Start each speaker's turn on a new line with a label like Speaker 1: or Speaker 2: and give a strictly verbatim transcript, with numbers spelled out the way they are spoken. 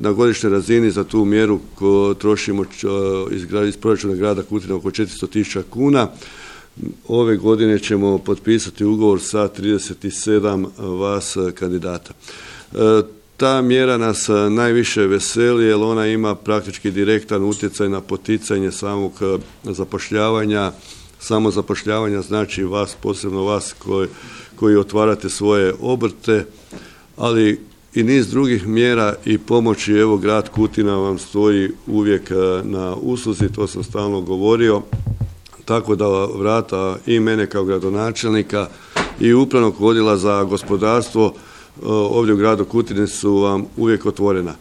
Speaker 1: Na godišnjoj razini za tu mjeru ko trošimo iz, iz proračuna grada Kutina oko četiristo tisuća kuna. Ove godine ćemo potpisati ugovor sa trideset sedam vas kandidata. Ta mjera nas najviše veseli jer ona ima praktički direktan utjecaj na poticanje samog zapošljavanja. Samo zapošljavanja znači vas, posebno vas koji, koji otvarate svoje obrte, ali i niz drugih mjera i pomoći. Evo, grad Kutina vam stoji uvijek na usluzi, to sam stalno govorio, tako da vrata i mene kao gradonačelnika i upravnog odjela za gospodarstvo ovdje u gradu Kutini su vam uvijek otvorena.